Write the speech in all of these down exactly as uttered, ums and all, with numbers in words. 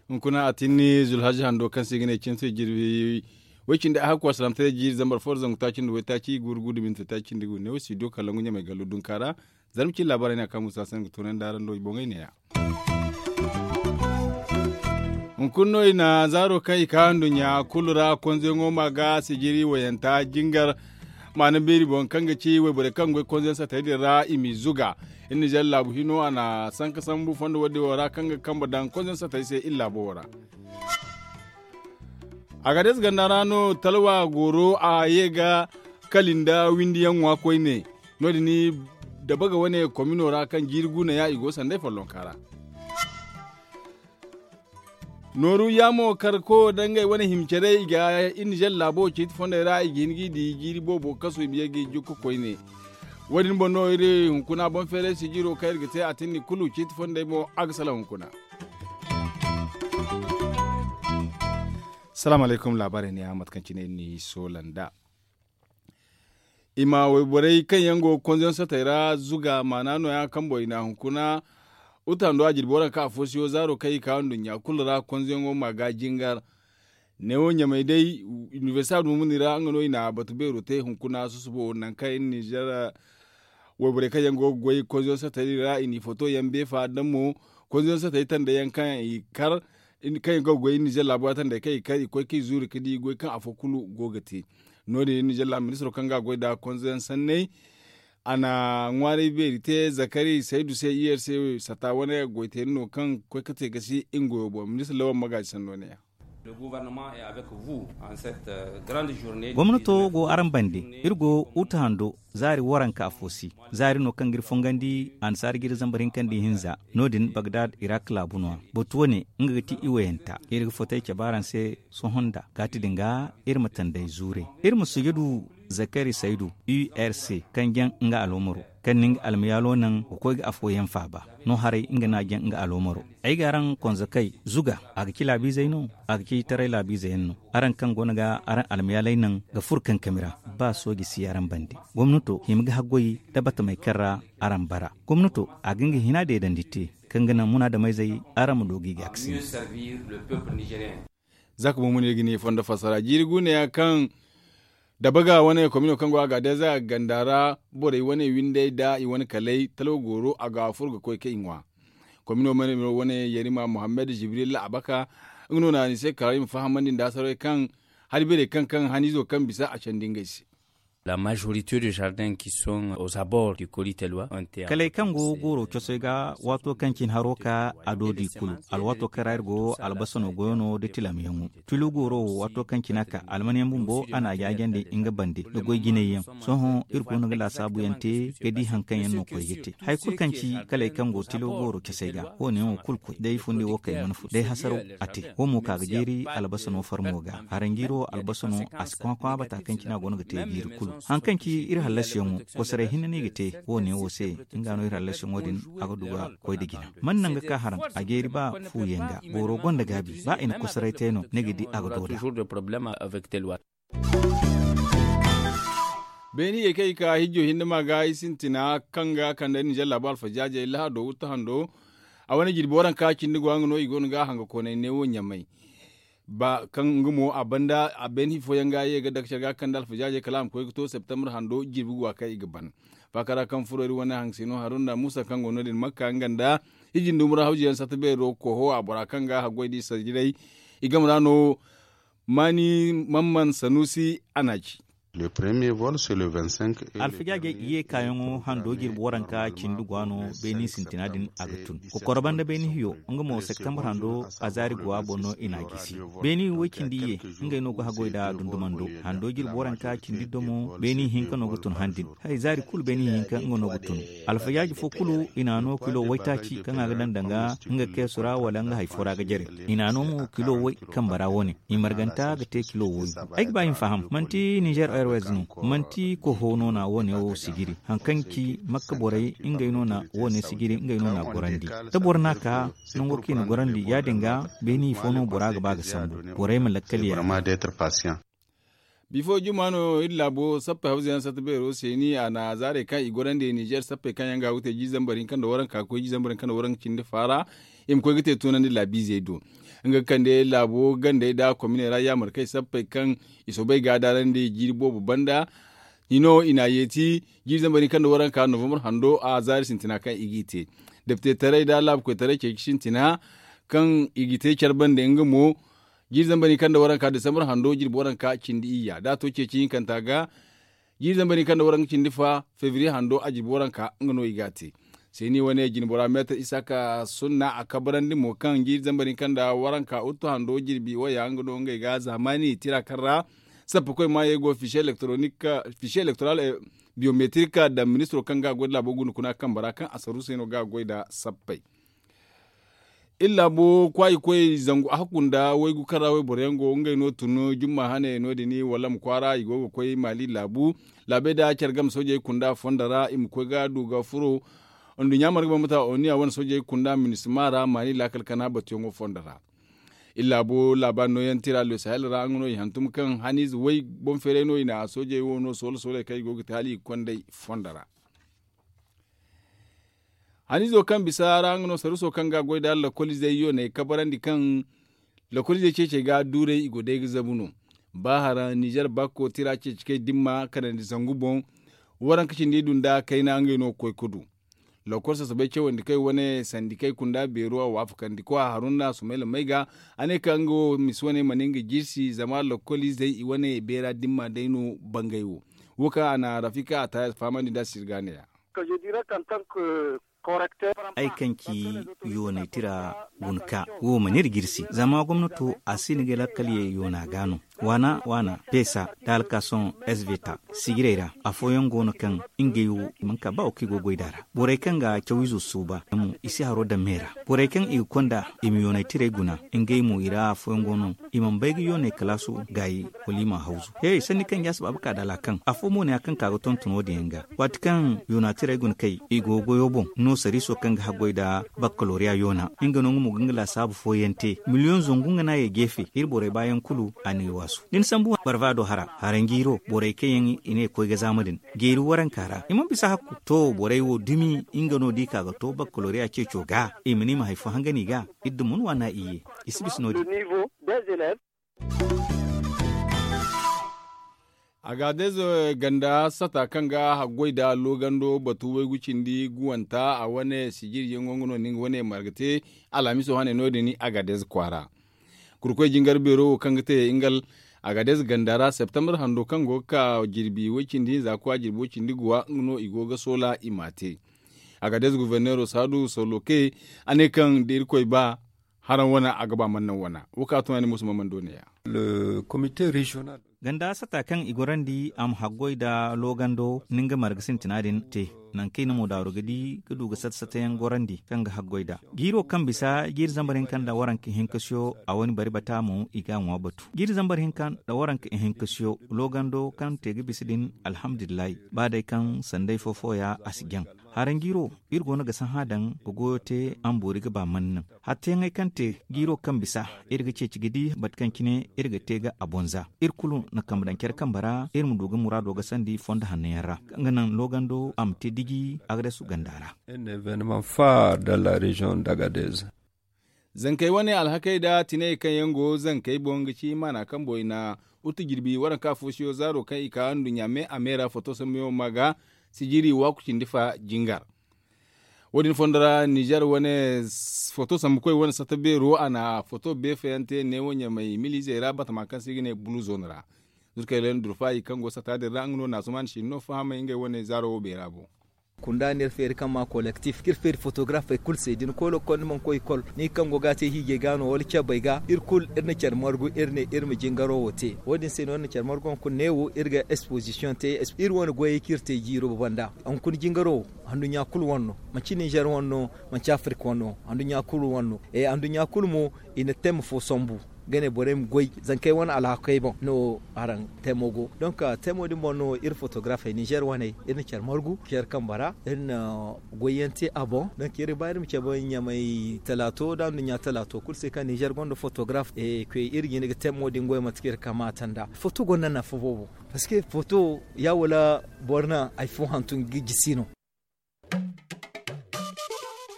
Hunkuna a tinni zulhaji hando kaŋ se i ga ne cine se jirbi way cindi a hakku a salaamtaray jiiri zambar fo da zangu taaci nda waytaaci gurgu da minti taaci nda gu ne wo si do kala ngu ɲamay gallo dunka ra. Zarma cine laabaarey no a kaŋ musa se nga toonandi araŋ do i boŋey neeya. Hunkuna no i na zaaro kaŋ i ka nduɲɲa kulu ra konzeyaŋo ma ga sijiri wayanta jingar maana beeri boŋ kaŋ ga ci wayborey kaŋ goy konzeyaŋ satey din ra i m'i zuga. Iri nizer laabu hino a na sanka sambu fondo wo- din wo ra kaŋ ga kambe daŋ konzeyaŋ satey se iri laabo wo ra. Agades ganda ra no talwa goro a ye ga kali nda windiyaŋ ŋwa koyne. No- din dabaga wane komino ra kaŋ jiiri guuna ya i go sanday follonka ra. Nooru yaamo kar koyo da ngey wane hima care i ga iri nizer laabo ciiti fondey ra i ga hin ga i di jiiri boobo kasu i ma ye ga i jukka koyne. Wo- din boŋ no iri hunkuna boŋ feeray sijiro kaŋ iri ga te a tinni kulu ciiti fondey mo a ga salaŋ hunkuna. Salaamu alaykum laabaarey neeya mate kaŋ cine iri n'i soola nd'a. I ma wayborey kaŋ yaŋ go ga konzeyaŋ sotey ra zuga maana nooya kaŋ boŋ i na hunkuna. Uta ndo a jirbi waranka afo siyo zaaro kaŋ i ka nduɲɲa kulu ra konzeyaŋo ma ga jingar. Neewo ɲamay day inibersita dumuni ra nga no i na batu beero te hunkuna susubo nangu kaŋ iri nizer wayborey kaŋ yaŋ go ga goy konzeyaŋ sotey din ra i n'i foto yaŋ beefa daŋ mo. Konzeyaŋ sotey tandey yaŋ kaŋ i kar kaŋ yaŋ go ga goy iri nizer laabo ra tandey kaŋ i kar i koy kaŋ i zuuri ga di goy kaŋ afo kulu go ga te. No- din iri nizer laabu ministiro kaŋ ga a goy nd'a konzeyaŋ sanney a na ŋwaaray beeri te zakari saydu se iyar se sata wane goy teeri no kaŋ ga koy ga te ga si nga goyo boŋ ministir lawal magaaji sanno neeya. Gomnato go araŋ bande. Iri go uta hando zaari waranka afo si zaari no kaŋ ga iri fongandi annasaara jiiri zambar hinka nda ihinza. No- din bagdad irak laabu no- ya batu wane nga ga ti iwayanta iri ga fotey cabe araŋ se. Sohõ nda kaati din ga iri ma tanday zuuray iri ma sujudu zakari saydu urc kaŋ jaŋ nga aloomaro kaŋ na nga almayaalo naŋ ga koy ga afooyaŋ faaba. No haray nga no a jaŋ nga aloomaro. Ay ga araŋ konzakey zuga a ga ci laabiizey no a ga ci taray laabiize yaŋ no. Araŋ kaŋ go no ga araŋ almayaaley naŋ ga furo kankami ra ba sooji si araŋ bande. Gomnato hima ga haggoy da batamey kaŋ ra araŋ bara. Gomnato a ga nga hina deedandi te kaŋ ga naŋ munaadamayzey araŋ ma du ga i gaakasindi. Za ka boŋ mo no iri ga ne fondo fassara jiiri guuneya kaŋ dabaga wane komino kaŋ go a ga day za ganda ra borey wane windey nda i wane kaley talwa gooro a ga furo ga koy ka i ŋwa. Komino wane yarima muhammad jibril abaka nga no na ni se kala i ma fahamandi nda sarawey kaŋ hari beerey kaŋ kaŋ haniizo kaŋ bisa a candi ngey se. La majorité de jardin ki sont aux abords du koli telwa. Kaley kaŋ go gooro cosey ga waato kaŋ cine haro ka a do di kulu alwaato kaŋ ra iri go albasano goyo no da tilamyaŋo. Tilo gooro wo waato kaŋ cine a ka almanyaŋ bumbo a na a jaajandi nga bande da goy jinay yaŋ. Sohõ iri go no ga laasaabu yaŋ te ga di hari kaŋ yaŋ no koy ga te hari kulu kaŋ ci kaley kaŋ go tilo gooro cosey ga wo- ne yaŋo kulu koy day fundi wo kay mana fo day hasaraw a te. Wo mo ka ga jeeri albasano farmo ga haranjiiro albasano a si kwakwa bata kaŋ cine a go no ga te jiiri kulu. Hari kaŋ ci iri hallasiyaŋo kosoray hinne no i ga te wo- ne wo se nga no iri hallasiyaŋo din a ga du ga koy nda jina. Man naŋ ga ka haraŋ a jeeri ba fuuyaŋ ga booro gonda gaabi ba i na kosoray te no ni ga di a ga dooda. Beeni ye kaŋ i ka hijjo hinne ma ga i sintina kaŋ ga kande ninzeer laabo alfajaajey lahado wutta hando. A wane jirbi waranka cindi go a nga no i go no ga a hanga koonay neewo ɲamay. Ba kaŋ nga mo a banda a beeni fooyaŋ ga ye ga dake care ga kande alfajaajey kala a ma koy ga to septembre hando jirbi go a kaŋ i ga ban. Faakara kaŋ furo iri wane haŋ se no haruna muusa kaŋ go no- din makka nga nda hiji nda umura hawji yaŋ satta beero koho a bora kaŋ ga haggoy da i sajiray. I game ra no maani mamman sanuusi a na a ci. Alfajaajey i ye kaayaŋo hando jirbi waranka cindi go a no beeni sintina din a ga tun. Kokoro banda beeni hiyo nga mo septembre hando a zaari go a boŋ no i na a gisi. Beeni way cindi iye ngey no ga haggoy nda dundumando hando jirbi waranka cindi domo beeni hinka no ga tun han din. Hay zaari kulu beeni hinka nga no ga tun. Alfayaaji fo kulu i na a no kilo waytaaci kaŋ a ga daŋ danga nga keesu ra wala nga hari fo ra ga jare. I na a no mo kilo way kambe ra wo- ne i marganta ga te kilo waygu. Ay ga ba i ma faham manti ninzeer airways no, manti koho no na wo- ne wo sijiri hari kaŋ ci makka borey ngey no na wo- ne sijiri ngey no na a gorandi. Da boro na a ka nango kaŋ i na gorandi ya- din ga beeni fo no bora ga ba ga sambu. Borey ma lakkal yaŋ. Bifo juma no iri laabo sappey hawza yaŋ satta beero se ni a na zaarey kaŋ i gorandi nizer sappey kaŋ yaŋ ga ga te jiiri zambar hinka nda waranka ga koy jiiri zambar hinka nda waranka cindi faara. I ma koy ga te tunandi laabiizey do nga ga kande laabo gandey nda kominey ra yaamarkey sappey kaŋ i soobay ga a daarandi jiiri boobo banda. Hino i na a yeeti jiiri zambar hinka nda waranka novambar hando a zaari sintina kaŋ i g'i te deptetaray nda laabukoytaray ceeci sintina kaŋ i ga te care bande nga mo. Jiiri zambar hinka nda waranka desambar hando jirbi waranka cindi iyya da a to ceeci hinkanta ga. Jiiri zambar hinka nda waranka cindi fa febriye hando a jirbi waranka nga no i ga a te. Seeni wane jinbora meetar isaaka sunna a kabarandi mo kaŋ jiiri zambar hinka nda waranka uttu hando jirbi waya nga no ngey ga zaamaani tira kaŋ ra sappakoy maayey go fiise elektoral biyometrik daŋ ministiro kaŋ ga a goy nda laabo guna kuna kambe ra kaŋ a saru se no ga a goy nda sappey. Iri laabo kwaayi koy zangu a hakku nda waygu kaŋ ra wayboro yaŋ go ngey no tun jumma hane no- din wala ma kwaara i go ga koy maali laabu. Laabey nda care game soojey kunda fondo ra i ma koy ga du ga furo. Nduɲɲa marga bambata oniya wane soojey kunda minisima ra maali laakal kana batuyaŋo fondo ra. Iri laabo laabaari nooyaŋ tira le sahel ra nga no i hantum kaŋ haniize way boŋ feeray no i na soojey wo no soola sooley kaŋ i go ga te hala i ga konday fondo ra. Haniizo kaŋ bisa ra nga no saruso kaŋ ga a goy nda lakkoliizey yooney kabarandi kaŋ lakkoliizey ceecey ga duuray i go day ga zabu no. Ba hara nizer bakko tira ceeci kay dimma kanandi zangu boŋ. Waranka cindi du nda kayna ngey no ga koy ga du. Lakkol sasabay cawandi kay wane sandi kay kunda beero a waafakandi kwa haruna sumayla may ga a ne ka nga wo misi wane mana nga jirsi zama lakkoliizey i wane beera dimma day no bangay wo. Wo kaŋ a na rafika a taayas fahamandi nda sirga ne ya. Ay kaŋ ci yoonay tira guna ka wo mana iri jirsi zama gomnato a si ni ga lakkal ye yoona ga no. Waana waana pesa da alkason svta sijirey ra afooyaŋ go no kaŋ ngey wo i mana ka ba wo kaŋ i go goy da ra borey kaŋ ga cawiizo suuba i si haro daŋ me ra. Borey kaŋ i ga konda i ma yoonay tirey guna ngey mo i ra afooyaŋ go no i mana bay ga yoonay kalaasu gaayi wala i ma a hawzu. He sanni kaŋ jaasi baaba ka da laakaŋ afo mo ne ya kaŋ ka ga tonton wo- din yaŋ ga waati kaŋ yoona tirey guna kay i go goyo boŋ no sariiso kaŋ ga haggoy nda bakkaloriya yoona nga no nga mo ga nga laasaabu fooyaŋ te miliyoŋ zangu nga no a ye geefe iri borey baayaŋ kulu a na i waasu. Da ni sambu barbaado hara haranjiiro borey kaŋ yaŋ i ne koy ga zaama din geeri waranka ra i mana bisa hakku to borey wo dumi nga no da i ka ga to bakkaloriya ceeco ga i ma ne i ma hari fo hangan i ga. Iri dumun waana iyye i si bisa no- din. Agaadez ganda sata kaŋ ga haggoy nda loogando batu waygu cindi guwanta a wane sijiriyaŋo nga no na nga wane marga te alhamiso hane no- din agaadez kwaara. Kurkoy jingar beero wo kaŋ ga te nga agaadez ganda ra septembar hando kaŋ go ga ka jirbi way cindi hinza kwa jirbi way cindi guwa nga no i go ga soola i m'a te. Agaadez guverneero saadu soloke a ne kaŋ da irkoy ba haraŋ wane a ga ba mana naŋ wane. Wo kaŋ a tun a ne musu ma mana doone ya. Ganda sata kaŋ i gorandi a ma haggoy nda loogando ni nga marga sintina din te. Nangu kaŋ i na mo daaru ga di ga du ga sata sata yaŋ gorandi kaŋ ga haggoy nda jiiro kaŋ bisa jiiri zambar hinka nda waranka ihinkasiyo a wane bari bata mo i ga a ŋwa batu jiiri zambar hinka nda waranka ihinkasiyo loogando kaŋ te ga bisa din. Alhamdulillahi ba day kaŋ sanday fo fooya a si jaŋ. Haranjiiro iri go no ga sahã daŋ ga goyo te a ma boori ga ba mana naŋ. Hatteyaŋey kaŋ te jiiro kaŋ bisa iri ga ceeci ga di mate kaŋ cine iri ga te ga a bonza iri kulu na kambe daŋ care kambe ra iri ma du ga muraado ga sandi fondo hanno yaŋ ra kaŋ ga naŋ loogando a ma te diji. Agades ganda ra. Zankey wane alhakey nda tiney kaŋ yaŋ go zankey boŋ ga ci maana kaŋ boŋ i na wuttu jirbi waranka foosuyo zaaro kaŋ i ka nduɲɲa me a me ra foto sambuyaŋo ma ga sijiri waaku cindi fa jingar. Wo- din fondo ra nizer wane foto sambukoy wane satta beero a na foto beefayaŋ te neewo ɲamay milizey ra batama kaŋ se i ga ne bulu zone ra. Zurkey ra durfayi kaŋ go satta din ra nga no na asuman sinno fahamay ngey wane zaaro wo beera boŋ. Kunda no iri feeri kaŋ ma kolektif kaŋ iri feeri fotografey kulu se da ni koy lokol ni mana koy ikol ni kaŋ go ga a te hiijey ga no wala cabey ga iri kulu iri na care margu iri ne iri ma jingaro wo te wo- din se no iri na care margu hunkuna neewo iri ga ekspoozisiyoŋ te. Iri wane goyey kaŋ iri te jiiro banda hunkuna jingaro wo handuɲɲa kulu wane no. Manci nizer wane no manci afirik wane no handuɲɲa kulu wane no. Handuɲɲa kulu mo i na tem fo sambu. ga ne borey ma goy zankey wane alhakey boŋ no. Araŋ temo go donk temo din boŋ no iri fotografey ninzeer waney iri na care margu care kambe ra iri na goy yaŋ te a boŋ donk iri ga ba iri ma cabe ɲamay talaato nda anduɲɲa talaato kulu se kaŋ ninzeer gonda fotograf. Koy iri ga hin ga temo din goy mate kaŋ iri kamaata nd'a foto gonda nafa boobo. Parceque foto ya wala boro naŋ hari fo hantum ga gisi no.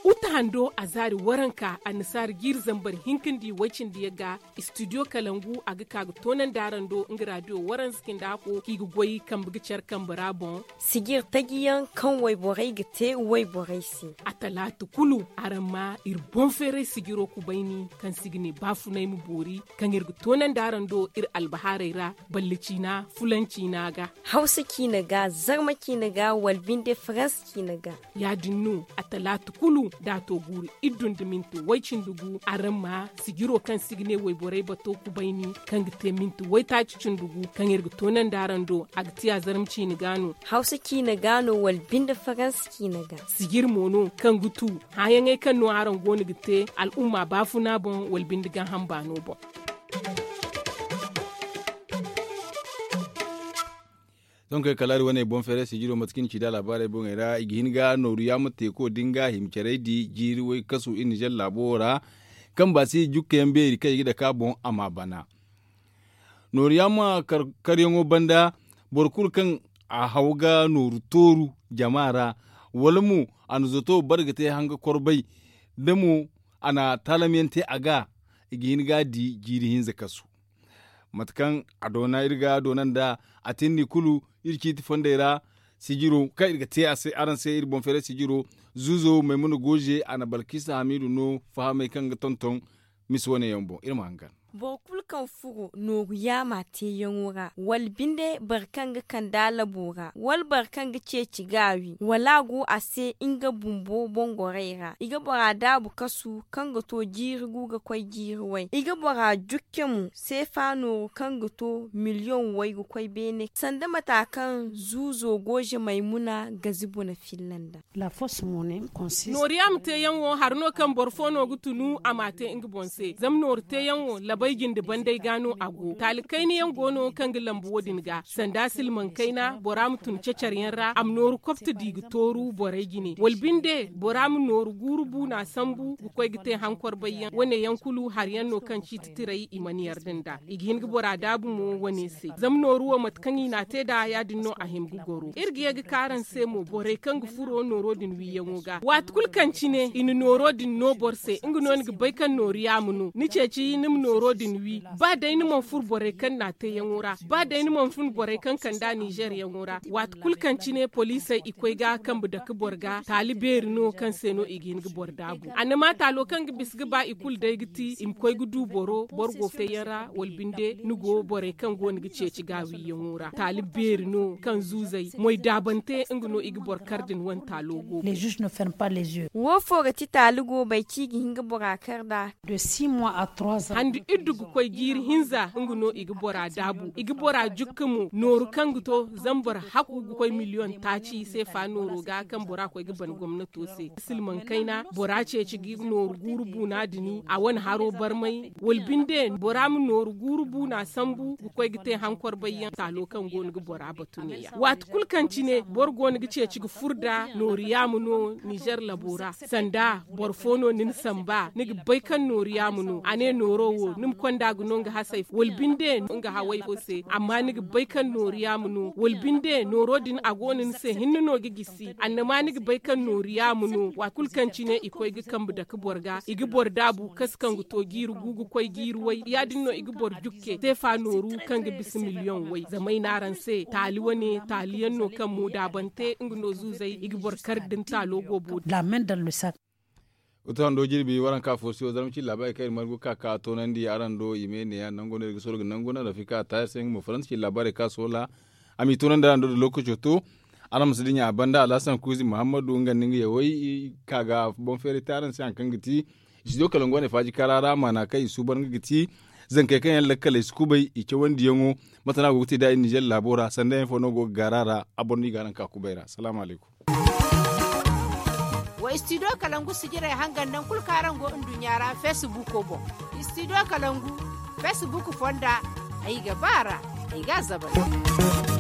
Uta hando a zaari waranka annasaari jiiri zambar hinka nda i way cindi yaŋ ga. Studio kalangu a ga ka ga toonandi araŋ do nga raadiyo waranza cindi hako kaŋ i ga goy kambe ga care kambe ra boŋ. Sijir taji yaŋ kaŋ wayborey ga te wayborey se. A talaata kulu araŋ ma iri boŋ feeray sijiro kubayni kaŋ se i ga ne baafunay ma boori kaŋ iri ga toonandi araŋ do iri albahaarey ra. Balle ciina fulan ciina ga. Hawsa ciina ga zarma ciina ga wala binde faransa ciina ga. Ya- din no a talaata kulu da a to guuru iddu nda minti way-cindi gu araŋ ma sijiro kaŋ se i ga ne wayborey bato kubayni kaŋ ga te minti waytaaci cindi gu kaŋ iri ga toonandi araŋ do a ga te a zarma ciina ga no. Hawsa ciina ga no wala binde faransa ciina ga. Sijir mo no kaŋ ga tu hããyaŋey kaŋ no araŋ go no ga te al'umma baafuna boŋ wala binde gaaham baano boŋ. Sohõ kay kala iri wane boŋ feeray sijiro mate kaŋ iri ci nd'a laabaarey boŋey ra i ga hin ga nooru yaama teeko din ga hima carey di jiiri way kasu iri nizer laabo wo ra. Kaŋ ba si jukka yaŋ beeri kaŋ i ga dake a boŋ a ma a bana. Nooru yaama karyaŋo banda boro kulu kaŋ a haw ga nooru tooru jama ra wala mo a na zoto bare ga te hanga korbay da mo a na taalam yaŋ te a ga. I ga hin ga a di jiiri hinza kasu. Mate kaŋ a doona iri ga doona nd'a a tindi kulu iri ciiti fondey ra. Sijiro kaŋ iri ga te a se araŋ se iri boŋ feeray sijiro zuuzo maymuna gooze a na balkisa hamiidu no fahamey kaŋ ga tonton. Misa wane yaŋ boŋ iri ma hangan. Boro kulu kaŋ furo nooru yaama teeyaŋo ra wala binde boro kaŋ ga kande a labo ra wala boro kaŋ ga ceeci gaawi wala a go a se nga bumbo boŋ gorey ra i ga bora daabu kasu kaŋ ga to jiiri gu ga koy jiiri way i ga bora jukke mo seefa nooru kaŋ ga to miliyoŋ way ga koy beene sanda mata kaŋ zuuzo gooze maymuna ga zibu na filla nd'a. Nooriyaama teeyaŋ wo hari no kaŋ boro fo no ga tunu a m'a te nga boŋ se zama nooru teeyaŋ wo labay jinde banday ga no a go taali kayna yaŋ go no kaŋ ga lambu wo- din ga sanda silmaŋ kayna bora ma tun cecaryaŋ ra a ma nooru kopta di ga tooru borey jine wala binde bora ma nooru guuru buuna sambu ga koy ga te hankor bayyaŋ wane yaŋ kulu hari yaŋ no kaŋ ciiti tiray i mana yarda nd'a i ga hin ga bora daabu mo wane se zama nooru wo mate kaŋ i n'a te nd'a ya- din no a hima ga goro iri ga ye ga ka araŋ se mo borey kaŋ ga furo nooro din wiiyaŋo ga waati kulu kaŋ cine i na nooro din no boro se nga no ni ga bay kaŋ nooru yaama no ni ceeci ni ma nooro din wi ba day ni mana furo borey kaŋ n'a teeyaŋo ra ba day ni mana fun borey kaŋ kand'a nizer yaŋo ra waati kulu kaŋ cine poliisey i koy ga kambe dake boro ga taali beeri no kaŋ se no i ga hin ga boro daabu annama taalo kaŋ ga bisa ga ba i kulu day ga ti i ma koy ga du boro boro go feeyaŋ ra wala binde ni go borey kaŋ go no ga ceeci gaawiyaŋo ra taali beeri no kaŋ zuuzey moy daabante nga no i ga boro kar din wane taalo go. Wo fo ga ti taali go bay ci ga hin ga bora kar nd'a. Handi iddu ga koy jiiri hinza nga no i ga bora daabu i ga bora jukka mo nooru kaŋ ga to zama boro haku ga koy miliyoŋ taaci seefa nooro ga kaŋ bora koy ga ban gomnato se silmaŋ kayna bora ceeci ga nooru guuru buuna dini a wane haro barmay wala binde bora ma nooru guuru buuna sambu ga koy ga te hankor bayyaŋ taalo kaŋ go no ga bora batu neeya waati kulu kaŋ cine boro go no ga ceeci ga furo nd'a nooru yaama no nizer labo ra sanda boro fo no ni na samba ni ga bay kaŋ nooru yaama no a ne nooro wo ni ma konda ga no nga hasey fo wala binde nga hawey fo se amma ni ga bay kaŋ nooru yaama no wala binde nooro din a go no ni se hinne no ga gisi annama ni ga bay kaŋ nooru yaama no waati kulu kaŋ cine i koy ga kambe dake boro ga i ga boro daabu kasa kaŋ ga to jiiri gu ga koy jiiri way ya- din no i ga boro jukke seefa nooru kaŋ ga bisa miliyoŋ way zama ay ne araŋ se taali wane taali yaŋ no kaŋ mo daabante nga no zuuzey i ga boro kar da ni taalo go boori. Oto hando jirbi waranka fo se wo zarma cine laabaari kaŋ iri margu ga ka ga toonandi araŋ do i ma ay neeya nango no iri ga soola ga nangu naŋ rafika taayar se nga mo faransa cine laabaarey kaŋ a soola a m'i toonandi araŋ do da lookaco to. Araŋ ma si dinya a banda alhasan kuuzi muhammadu nga nda nga yawey i ka ga boŋ feeray te araŋ se hari kaŋ ga ti studio kalangu wane faaji kaara ra maana kaŋ i suuban nga ga ti zankey kaŋ yaŋ lakkaley si kubay i cawandiyaŋo. Mate no a go ga te nd'a iri nizer laabo ra sanda yaŋ fo no go ga gaara ra a boro no i ga araŋ ka kubay ra salaamu alaykum. Wa studio kalangu sijirey hangan nangu kulu kaŋ araŋ go nduɲɲa ra feesibuuko boŋ. Studio kalangu. Facebook fonda. Ay ga ba ra, ay ga a zabal.